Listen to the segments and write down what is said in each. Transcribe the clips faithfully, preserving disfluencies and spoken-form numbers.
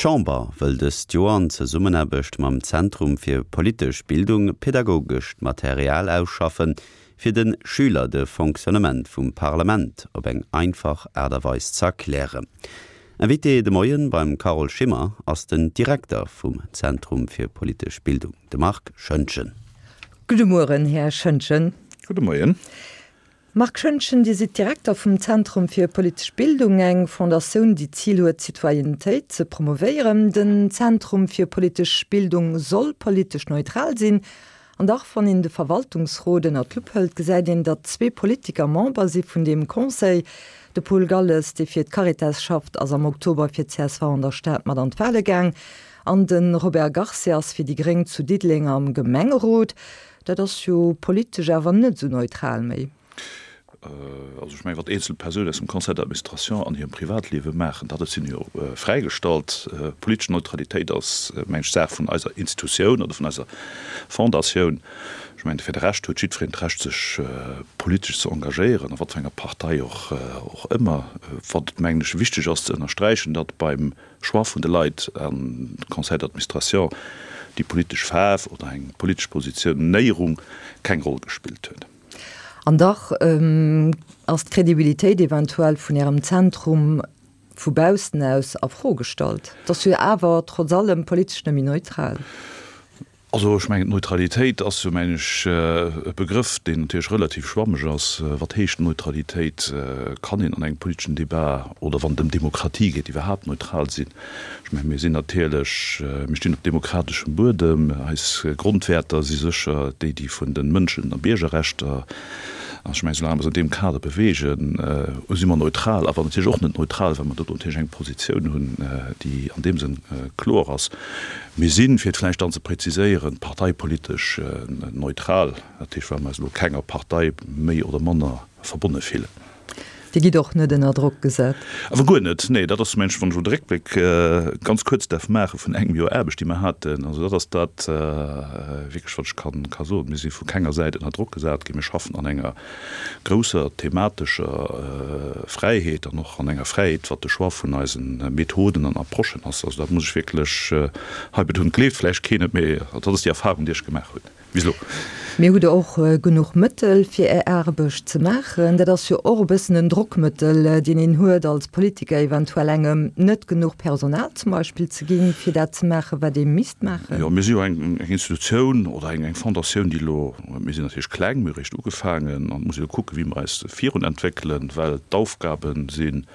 D'Chamber wëll dëst Joer an Zesummenaarbecht mam Zentrum fir politesch Bildung pedagogescht Material ausschaffen, fir de Schüler de Fonctionnement vum Parlament op eng einfach Aart a Weis ze erklären. Invité de Moien beim Carole Schimmer ass den Direkter vum Zentrum fir politesch Bildung, de Marc Schoentgen. Gudde Mueren, Här Schoentgen. Gudde Moien. Marc Schoentgen, Dir sidd Direkter vum Zentrum fir politesch Bildung, eng Fondatioun, déi d'Zil huet, d'Citoyennetéit ze promovéieren. Den Zentrum fir politesch Bildung soll politesch neutral sinn. An dach, wann een de Verwaltungsrot ënner d'Lupp hëlt, gesäit een, datt zwee Politiker Member si vun deem Conseil. De Paul Galles, dee fir d'Caritas schafft, ass am Oktober fir d'CSV an der Stad mat an d'Wale gaang. An de Robert Garcia ass fir déi Gréng zu Diddeleng am Gemengerot. Dat ass jo politesch awer net esou neutral méi. Also ech mengen, wat eenzel Persounen aus dem Conseil d'administration an hirem Privatliewe maachen, dat ass hinne jo fräigestallt. Politesch Neutralitéit ass, mengen ech, Saach vun eiser Institutioun oder vun eiser Fondatioun. Ech mengen, fir de Rescht huet jiddwereen d'Recht, sech politesch ze engagéieren, a wat fir enger Partei och och ëmmer. Wat, mengen ech, wichteg ass ze ënnersträichen, datt beim Choix vun de Leit am Conseil d'administration déi politesch Faarf oder eng politesch Positionéierung keng Roll gespillt huet. An dach ass d'Credibilitéit eventuell vun Ärem Zentrum vu baussen aus a Fro gestallt. Et ass jo awer trotz allem politesch net méi neutral. Also ech mengen, d'Neutralitéit ass jo, mengen ech, e Begrëff, deen natierlech relativ schwammeg ass. Wat heescht Neutralitéit? Kann een an engem politeschen Debat oder wann et ëm Demokratie geet iwwerhaapt neutral sinn? Ech mengen, mir sinn natierlech, mir stinn op demokrateschem Buedem. Eis Grondwäerter si sécher déi, déi vun de Mënschen a Biergerrechter. An ech mengen, soulaang mer eis an deem Kader beweegen, si mer neutral, awer natierlech och net neutral, well mer do natierlech eng Positioun hunn, déi an deem Sënn kloer ass. Mir sinn, fir et vläicht dann ze präziséieren, parteipolitesch neutral, dat heescht, well mer eis elo kenger Partei méi oder manner verbonne fillen. Dir gitt och net ënner Drock gesat? Awer guer net, nee. Dat ass, mengen ech, wann ech elo de Réckbléck ganz kuerz däerf maache vun engem Joer Aarbecht, déi mer haten, also dat ass dat wierklech, wat ech kann ka soen. Mir si vu kenger Säit ënner Drock gesat ginn. Mir schaffen an enger grousser thematescher Fräiheet an och an enger Fräiheet, wat de Choix vun eise Methoden an Approchen ass. Also dat muss ech wierklech hei betonen. Et gleeft vläicht keen et, mee dat ass déi Erfahrung, déi ech gemaach hunn. Bis elo. Mee hutt Der och genuch Mëttel, fir Är Aarbecht ze maachen? Dat ass jo och e bëssen en Drockmëttel, deen een huet als Politiker, eventuell engem net genuch Personal zum Beispill ze ginn, fir dat ze maachen, wat ee misst maachen. Jo, mir si jo eng Institutioun oder eng Fondatioun, déi elo, mir sinn natierlech kleng, mir hu réischt ugefaangen an et muss ee elo kucken, wéi mer eis virunentwéckelen, well d'Aufgabe si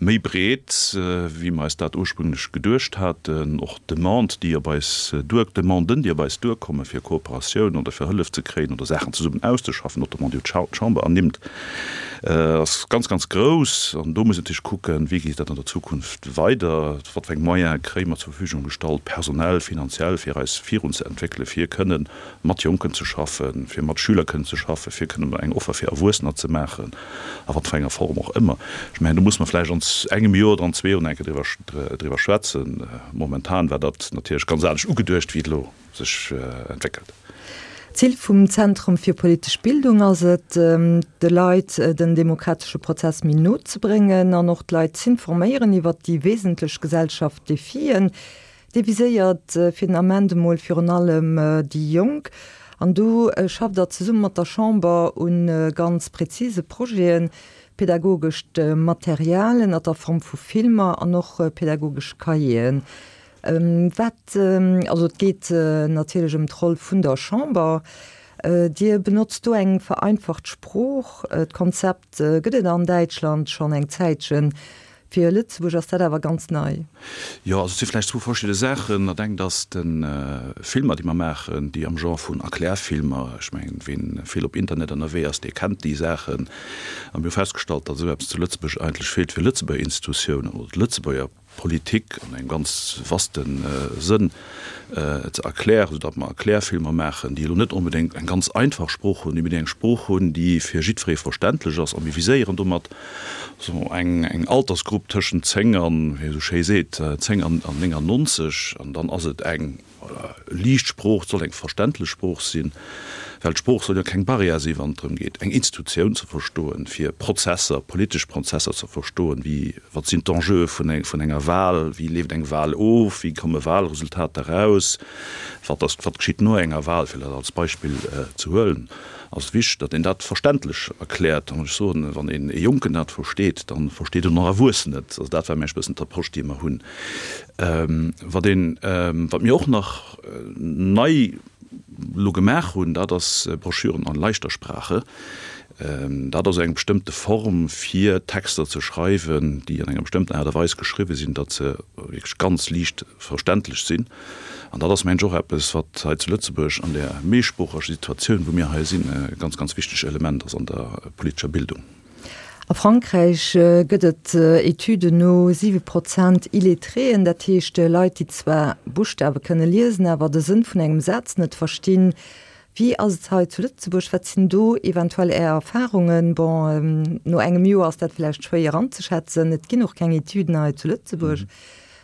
méi breet, wéi mer eis dat ursprünglech geduecht haten. Och d'Demande, déi op eis duer, d'Demanden, déi op eis duerkommen, fir Kooperatioun oder fir Hëllef ze kréien oder Saachen zesummen auszeschaffen, notamment déi jo d'Chamber ernimmt, ass ganz, ganz grouss. An do muss een natierlech kucken, wéi geet dat an der Zukunft weider, wat fir eng Moyene kréie mer zur Verfügung gestallt, personell, finanziell, fir eis virunzeentwéckelen, fir kënnen mat Jonken ze schaffen, fir mat Schüler kënnen ze schaffen, fir kënnen eng Offer fir Erwuessener ze maachen, a wat fir enger Form och ëmmer. Ech mengen, do muss mer vläicht an engem Joer oder an zwee Joer nach eng Kéier driwwer, driwwer schwätzen. Momentan war dat natierlech ganz anescht ugeduecht, wéi et elo sech entwéckelt. D'Zil vum Zentrum fir politesch Bildung ass et, de Leit den demokratesche Prozess méi no ze bréngen an och d'Leit z'informéieren iwwert déi wesentlech Gesellschaft-Defien. Dee viséiert fir den Ament emol virun allem déi Jonk. An do schafft Der zesumme mat der Chamber u ganz präzise Projeten, pädagogescht Material ënner der Form vu Filmer an och pädagogesch Cahieren. Wat, also et geet natierlech ëm d'Roll vun der Chamber. Dir benotzt do eng vereinfacht Sprooch. D'Konzept gëtt et an Däitschland schonn eng Zäitchen. Fir Lëtzebuerg ass dat awer ganz nei. Jo, also et si vläicht zwou verschidde Saachen. Dat engt ass de Filmer, déi mer maachen, déi am Genre vun Erklärfilmer, ech mengen, ween vill op Internet ënnerwee ass, dee kennt déi Saachen. A mir hu festgestallt, datt esou eppes zu Lëtzebuerg eigentlech feelt fir Lëtzebuerger Institutiounen oder d'Lëtzebuerger Politik an engem ganz vaste Sënn ze erklären, soudatt mer Erklärfilmer maachen, déi elo net onbedéngt eng ganz einfach Sprooch hunn, mee déi eng Sprooch hunn, déi fir jiddweree verständlech ass. A mir viséieren domat esou eng eng Altersgrupp tëschent zéng an, wéi ee esou schéi seet, zéng an néngannonzeg. An dann ass et eng liicht Sprooch, et soll eng verständlech Sprooch sinn, Well d'Sprooch soll jo keng Barrière sinn, wann et drëm geet, eng Institutioun ze verstoen, fir Prozesser, politesch Prozesser ze verstoen, wéi, wat sinn d'Enjeue vun eng, vun enger Wahl, wéi leeft eng Wahl of, wéi komme Wahlresultater eraus, wat ass, wat geschitt no enger Wahl, fir dat als Beispill ze huelen, ass et wichteg, datt een dat verständlech erkläert. An ech soen, wann een e Jonken dat versteet, da versteet en och Erwuessen et. Also dat war mengen ech e bëssen d'Approche, déi mer hunn. Wat een, wat mir och nach nei elo gemaach hunn, dat ass Broschüren an leichter Sprache. Dat ass eng bestëmmte Form fir Texter ze schreiwen, déi an enger bestëmmten Aart a Weis geschriwwe sinn, datt se wierklech ganz liicht verständlech sinn. An dat ass, mengen ech, och eppes, wat hei zu Lëtzebuerg an där méisproocheger Situatioun, wou mir hei sinn, e ganz, ganz wichteg Element ass an der politescher Bildung. A Frankräich gëtt et Etüden no siwe Prozent Illetréen, dat heescht Leit, déi zwar Buschtawe kënne liesen, awer de Sënn vun engem Saz net verstinn. Wéi ass et hei zu Lëtzebuerg? Wat sinn do eventuell Är Erfarungen? Bon, no engem Joer ass dat vläicht schwéier anzeschätzen. Et ginn och keng Etüden hei zu Lëtzebuerg.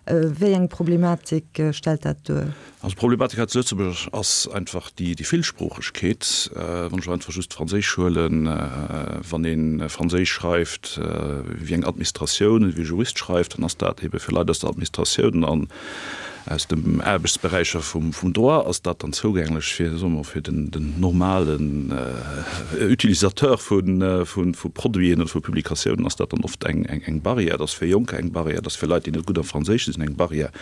Wéi eng Problematik stellt dat duer? Also d'Problematik hei zu Lëtzebuerg ass einfach déi Villsproochegkeet. Wann ech elo einfach just d'Franséisch huelen, wann ee Franséisch schreift wéi eng Administratioun, wéi e Jurist schreift, dann ass dat ebe fir Leit aus der Administratioun an aus de Aarbechtsberäicher vum Droit ass dat dann zougänglech, fir, soe mer, fir den normalen Utilisateur vu Produiten oder vu Publikatiounen ass dat dann oft eng Barrière. Dat ass fir Jonker eng Barrière, dat ass fir Leit, déi net gutt am Franséische sinn, eng Barrière.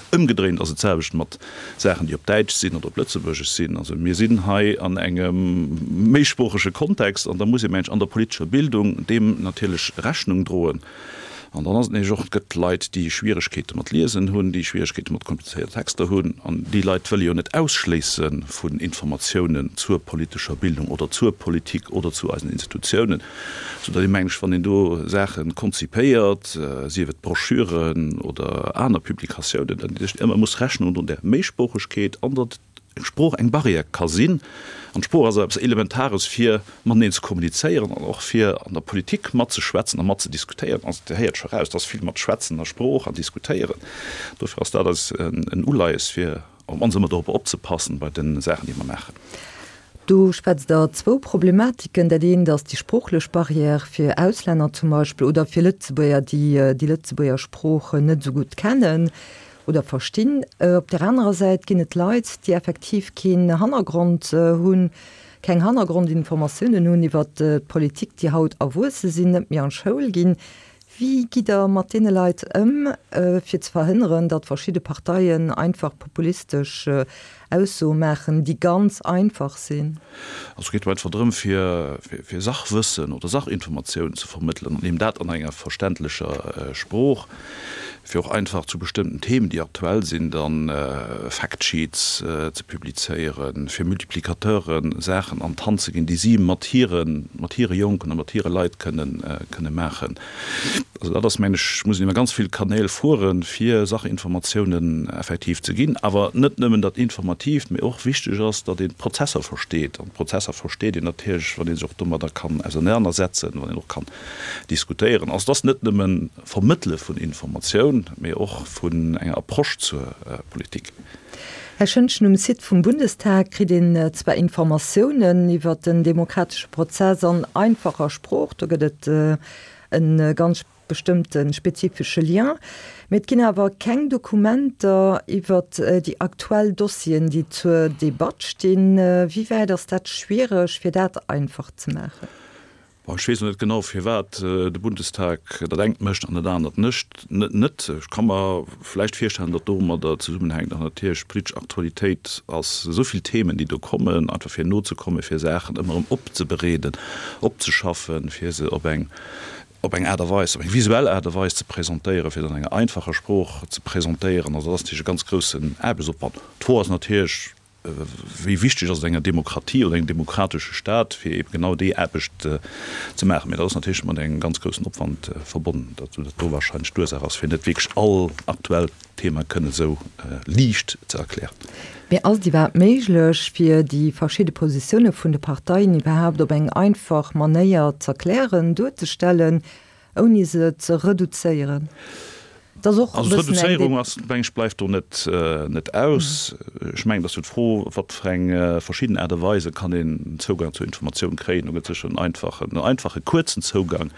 Ëmgedréint ass et d'selwecht mat Saachen, déi op Däitsch sinn oder op Lëtzebuergesch sinn. Also mir sinn hei an engem méisproochege Kontext an da muss ee mensch an der politescher Bildung deem natierlech Rechnung droen. An dann ass et nämlech och, et gëtt Leit, déi Schwieregkeete mat Liesen hunn, déi Schwieregkeete mat komplizéierten Texter hunn. An déi Leit wëlle jo net ausschléisse vun Informatiounen zur politescher Bildung oder zur Politik oder zu eisen Institutiounen, soudatt ee mengt, wann een do Saache konzipéiert, sief et Broschüren oder aner Publikatiounen, datt een ëmmer muss Rechnung droen där Méisproochegkeet an datt eng Sprooch eng Barrière ka sinn. An d'Sprooch ass eppes Elementares, fir mateneen ze kommunizéieren an och fir an der Politik matzeschwätzen a matzediskutéieren. Also Dir héiert scho raus, et ass vill mat Schwätzen a Sprooch an Diskutéieren. Dofir ass dat eis en Uleies, fir op d'mannst ëmmer dorop opzepassen bei de Saachen, déi mer maachen. Do schwätzt Der zwou Problematiken. Dat eent ass déi sproochlech Barrière fir Auslänner zum Beispill oder fir Lëtzebuerger, déi déi Lëtzebuerger Sprooch net esou gutt kennen oder verstinn. Op där anerer Säit ginn et Leit, déi effektiv keen Hannergrond hunn, keng Hannergrondinformatiounen hunn iwwert d'Politik, déi haut erwuesse sinn, net méi an d'Schoul ginn. Wéi gitt Der mat deene Leit ëm, fir ze verhënneren, datt verschidde Parteien einfach populistesch Aussoe maachen, déi ganz einfach sinn? Also et geet jo einfach drëm, fir Sachwëssen oder Sachinformatiounen ze vermëttelen an eben dat an enger verständlecher Sprooch, fir och einfach zu bestëmmten Themen, déi aktuell sinn, da Factsheets ze publizéieren, fir Multiplicateuren Saachen an d'Hand ze ginn, déi si mat hire Jonken a mat hire Leit kënne maachen. Also dat ass, mengen ech, muss een iwwer ganz vill Kanäl fueren, fir Sachinformatiounen effektiv ze ginn. Awer net nëmmen dat Informatiivt, mee och wichteg ass, datt een d'Prozesser versteet. An d'Prozesser versteet een natierlech, wann ee sech och domadder kann ausernanersetzen, wann een och kann diskutéieren. Also et ass net nëmme Vermëttele vun Informatioun, mee och vun enger Approche zur Politik. Här Schëntgen, um Site vum Bundestag kritt een zwar Informatiounen iwwer den demokratesche Prozess an einfacher Sprooch, do gëtt et e ganz bestëmmte spezifesche Lien, mee et ginn awer keng Dokumenter iwwer déi aktuell Dossieren, déi zur Debatt stinn. Wéi wäit ass dat schwiereg, fir dat einfach ze maachen? Bon, ech weess elo net genau, firwat de Bundestag dat engt mécht an dat anert net. Ech ka mer vläicht virstellen, datt domadder zesummenhänkt, datt natierlech d'politesch Aktualitéit ass, esou vill Themen, déi do kommen, einfach fir nozekommen, fir Saachen ëmmer erëm opzebereeden, opzeschaffen, fir se op eng op eng Aart a Weis, op eng visuell Aart a Weis ze presentéieren, fir se an enger einfacher Sprooch ze presentéieren. Also dat ass natierlech e ganz groussen Aarbechtsopwand. D'Fro ass natierlech, Wéi wichteg ass et enger Demokratie oder engem demokratesche Staat, fir eebe genau déi Aarbecht ze maachen? Mä dat ass natierlech mat engem ganz groussen Opwand verbonnen, datt dat do wahrscheinlech d'Ursaach ass, fir net wierklech all aktuellt Thema kënne esou liicht ze erklären. Mä ass et iwwerhaapt méiglech, fir déi verschidde Positioune vun de Parteien iwwerhaapt op eng einfach Manéier z'erklären, duerzestellen, ouni se ze reduzéieren? Et ass och e Also bëssen eng d'Reduzéierung ass, meng ech, bleift do net, net aus. Ech mengen, et ass jo d'Fro, wat fir eng verschidden Aart a Weise kann een Zougang zur Informatioun kréien. Do gëtt et sécher en einfachen, en einfache kuerzen Zougang.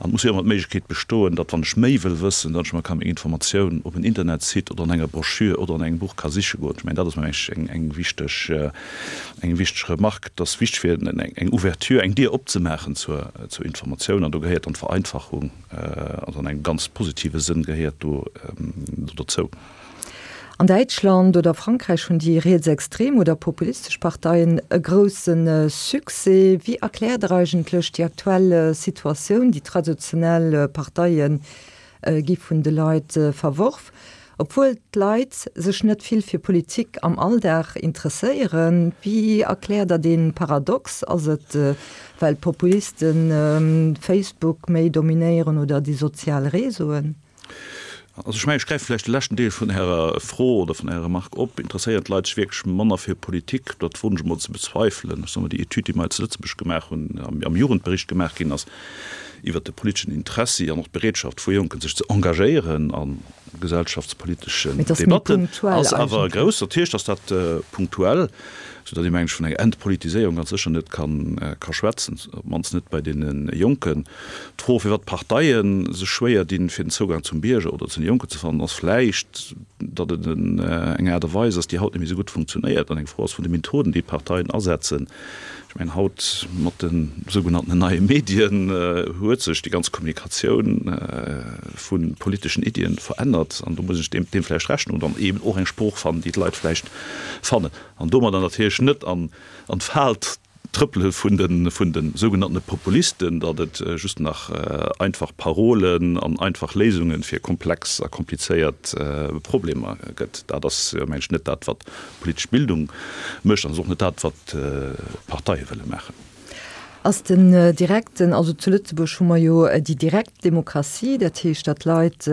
An et muss jo ëmmer d'Méiglechkeet bestoen, datt wann ech méi wëll wëssen, datt ech mer ka meng Informatioun op en Internetsite oder an enger Broschür oder an engem Buch ka siche goen. Ech mengen, dat ass, meng ech, eng, eng wichteg, eng wichteg Remarque. Et ass wichteg fir eng, eng Ouverture, eng Dier opzemaachen zur, zur Informatioun. An do gehéiert dann d'Vereinfachung, also an engem ganz positive Sënn gehéiert do dozou. An Däitschland oder Frankräich hunn déi rietsextrem oder populistesch Parteien e grousse Succès. Wéi erkläert Der eigentlech déi aktuell Situatioun? Déi traditionell Parteie gi vun de Leit verworf. Obwuel d'Leit sech net vill fir Politik am Alldag interesséieren. Wéi erkläert Der dee Paradox? Ass et, well d'Populisten Facebook méi dominéieren oder déi sozial Réseauen? Also ech mengen, ech gräife vläicht de leschten Deel vun Ärer Fro oder vun Ärer Remark op. Interesséieren d'Leit sech wierklech manner fir Politik? Dat woen ech emol ze bezweifelen. Ech soe mol, déi Etüd, déi mer hei zu Lëtzebuerg gemaach hunn, am Jugendbericht gemaach ginn ass, iwwert de politeschen Interessi an och d'Bereetschaft vu Jonken, sech ze engagéieren a gesellschaftspoliteschen Mee et ass méi Debatten, punktuell ass awer eigentlech. grouss. Natierlech ass dat punktuell, soudatt ee, meng ech, vun enger Entpolitiséierung ganz sécher net ka schwätzen, op d'mannst net bei deene Jonken. D'Fro, firwat d'Parteie sech schwéier dinn, fir den Zougang zum Bierger oder zu den Jonken ze fannen, ass vläicht, datt et eng Aart a Weis ass, déi haut net méi esou gutt funktionéiert an eng Fro ass vun de Methoden, déi d'Parteien asetzen. Ech mengen, haut mat de sougenannten neie Medien huet sech déi ganz Kommunikatioun vu politeschen Iddien verännert an do muss ech deem vläicht Rechnung dann eeben och eng Sprooch fannen, déi d'Leit vläicht fannen an domadder natierlech net an d'Fal trëppele vun de vun de sougenanntene Populisten, datt et just nach einfach Parolen an einfach Léisunge fir komplex a komplizéiert Problemer gëtt. Dat ass, mengen ech, net dat, wat politesch Bildung mécht an ass och net dat, wat d'Parteie wëlle maachen. Ass den direkten, also zu Lëtzebuerg hu mer jo déi direkt Demokratie, dat heescht, datt d'Leit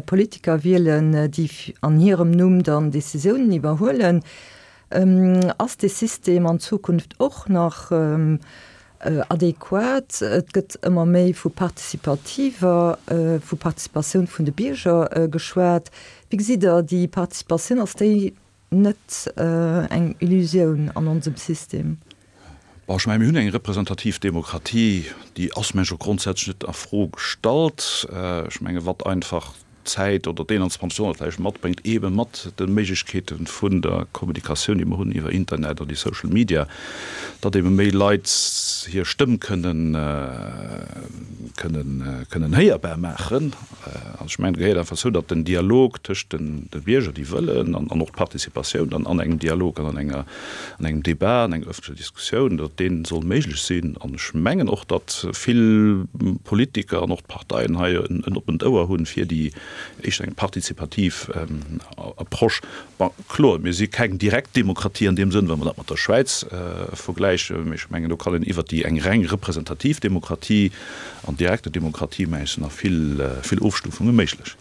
Politiker wielen, déi an hirem Numm dann Decisiounen iwwerhuelen. Ass dee System an Zukunft och nach adequat? Et gëtt ëmmer méi vu participativer, vu Participatioun vun de Bierger geschwat. Wéi gesitt Der déi Participatioun? Ass déi net eng Illusioun an onsem System? Bon, ech mengen, mir hunn eng representativ Demokratie, déi ass, mengen ech, och grondsätzlech net a Fro gestallt. Ech mengen, wat einfach d'Zäit oder d'eenanzwanzegt Joerhonnert vläicht matbréngt, eebe mat de Méiglechkeete vun der Kommunikatioun, déi mer hunn iwwer Internet an déi Social Media, datt eebe méi Leit hir Stëmm kënnen, kënnen, kënnen héierbar maachen. An ech mengen, et gehéiert einfach zou, datt den Dialog tëscht den de Bierger, déi wëllen, an, an och d'Participatioun dann an engem Dialog an an enger, an engem Débat, an enger öffentlecher Diskussioun, datt dee soll méiglech sinn. An ech mengen och, datt vill Politiker an och d'Parteien hei en, en oppent Ouer hunn fir déi éischter eng partizipativ Approche. Bon, kloer, mir si keng direkt Demokratie an deem Sënn, wa mer dat mat der Schwäiz vergläichen, mee ech mengen, do kann een iwwert déi eng reng representativ Demokratie an direkte Demokratie, meng ech, sinn nach vill, vill Ofstufunge méiglech.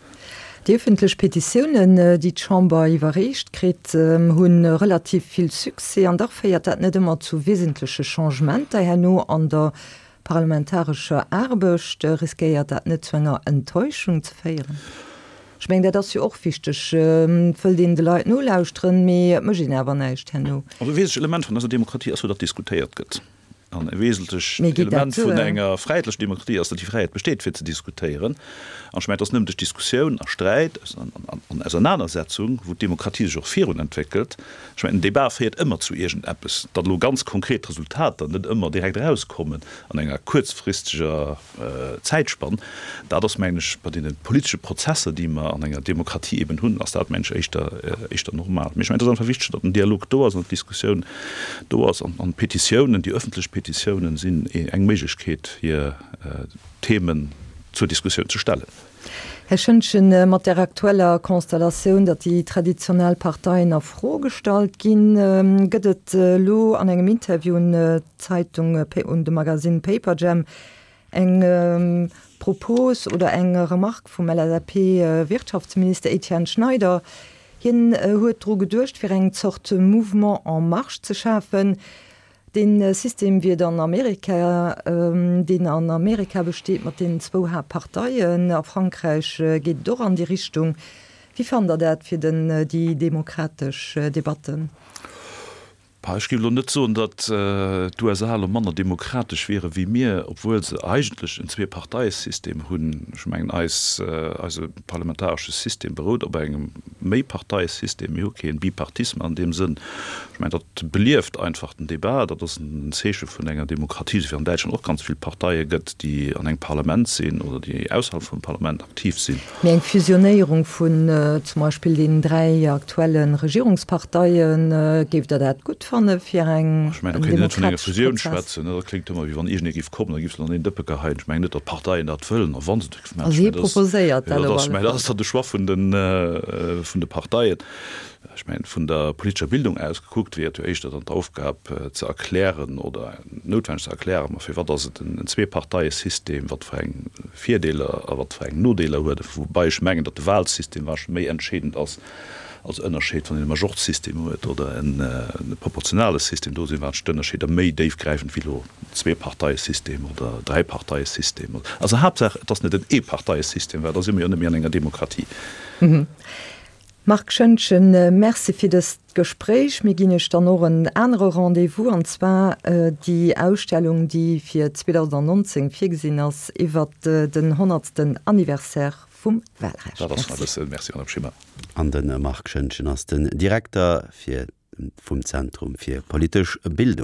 Déi ëffentlech Petitiounen, déi d'Chamber iwwerreecht kritt, hu relativ vill Succès. An dach féiert dat net ëmmer zu wesentleche Changementer herno an der parlamentarescher Aarbecht. Riskéiert dat net zu enger Enttäuschung ze féieren? Ech mengen, dat ass jo och wichteg. Et wëllt een de Leit nolauschteren, mee et mécht een awer näischt herno. Also e wesentlecht Element vun eiser Demokratie ass jo, datt diskutéiert gëtt. An e wesentlecht Mee geet dat Element vun duer? enger fräiheetlecher Demokratie ass, datt déi Fräiheet besteet, fir ze diskutéieren. An ech mengen, et ass nëmmen duerch Diskussioun a Sträit an Ausernanersetzung, wou d'Demokratie sech och virun entwéckelt. Ech mengen, en Débat féiert ëmmer zu iergendeppes. Datt elo ganz konkret Resultater net ëmmer direkt erauskommen an enger kuerzfristeger Zäitspann, dat ass, mengen ech, bei deene politesche Prozesser, déi mer an enger Demokratie eben hunn, ass dat, mengen ech, éischter, éischter normal. Mee ech mengen, et ass einfach wichteg, datt den Dialog do ass an d'Diskussioun do ass. An d'Petitiounen, déi öffentlech Petitiounen sinn eng Méiglechkeet, fir Themen zur Diskussioun ze stellen. Här Schëntgen, mat der aktueller Konstellatioun, datt déi traditionell Parteien a Fro gestallt ginn, gëtt et elo an engem Interview un d'Zeitung, un de Magasinn Paperjam eng Propos oder eng Remarque vum L S A P-Wirtschaftsminister Etienne Schneider. Hien huet dru geduecht, fir eng Zort Mouvement en marche ze schafen. Dee System wéi et an Amerika, deen an Amerika besteet mat deenen zwou Haaptparteien, a Frankräich geet et och an déi Richtung. Wéi fannt Der dat fir den, déi demokratesch Debatten? Bah, ech géif elo net soen, datt d'USA elo manner demokratesch wiere wéi mir, obwuel se eigentlech en Zweeparteiesystem hunn. Ech mengen, eis, eise parlamentaresche System berout op engem Méiparteiesystem. Mir hu kee Bipartisme an deem Sënn. Ech mengen, dat belieft einfach den Debat. Dat ass en Zeeche vun enger Demokratie, esou wéi an Däitschland och ganz vill Parteie gëtt, déi an engem Parlament sinn oder déi ausserhalb vum Parlament aktiv sinn. Mee eng Fusionéierung vun zum Beispill deenen dräi aktuelle Regierungsparteien, géift Der dat gutt fanne fir eng, Ech mengen, do kéint een net vun enger Fusioun schwätzen. Dat kléngt ëmmer, wéi wann iergendee géif kommen a géif se an een Dëppe geheien. Ech mengen net, datt d'Parteien dat wëllen. A wa se et maachen, ech mengen, dat ass, jo, dat ass, ech mengen, dat ass dann de Choix vun den, vun de Parteien. Ech mengen, vun der politescher Bildung aus gekuckt, wier et jo éischter dann d'Aufgab ze erklären oder noutwenneg ze erklären, ma firwat ass et en Zweeparteiesystem, wat fir eng Virdeeler a wat fir eng Nodeeler huet e, woubai ech mengen, datt de Wahlsystem warscheinlech méi entscheedend ass als Ënnerscheed, wann een e Majorzsystem huet oder e proportionale System. Do sinn warscheinlech d'Ënnerscheeder méi déifgräifend wéi elo Zweeparteiesystem oder Dräiparteiesystem. Also Haaptsaach, et ass net en Eeparteiesystem, well da si mer jo net méi an enger Demokratie. Marc Schoentgen, Merci fir dëst Gespréich. Mir ginn Iech dann och en anere Rendez-vous, an zwar déi Ausstellung, déi fir zweedausendnonzéng virgesinn ass, iwwert den honnertsten Anniversaire vum Wahlrecht. Dat ass nach e bëssen. Merci, Madame Schimmer. An de Marc Schoentgen ass den Direkter fir vum Zentrum fir politesch Bildung.